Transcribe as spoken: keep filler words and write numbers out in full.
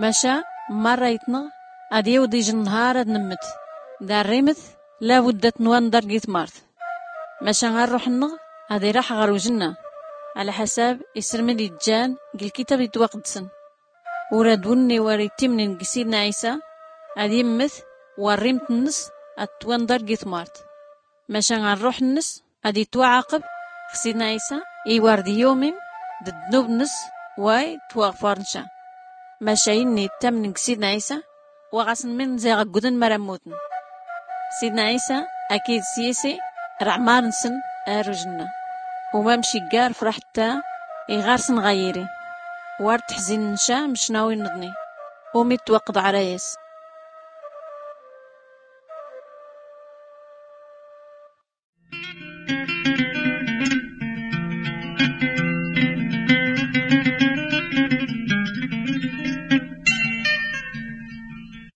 Maca marra itnɣ ad-iwḍ ijn nnhar ad-nmmt. Darrimt labud ad-tnwanḍar g-itmart. Maca arruḥ-nnɣ ad-iraḥ ɣr-ujnna, ɛla ḥasab isrmd ijjan g-lkitab itwaqdsn. Ur ad-wnnw ar-ittimnn g-sidna ɛisa ad-immt, warrimt-nns ad-twanḍar g-itmart. Maca arruḥ-nns ad-itwaɛaqb. X-sidna ɛisa iwar d-iumim d-ddnub-nns, way twaɣfar-nca. Maca inna ittamnn g-sidna ɛisa, wa ɣasn min ziɣ aggudn mara mmutn. Sidna ɛisa akid s-yisi rɛmar-nsn ar-ujnna. Umam ciggar fraḥtta iɣarsn ɣayiri. War tḥzin-nca mcnawi-nḍni, umi twaqḍ ɛrayas.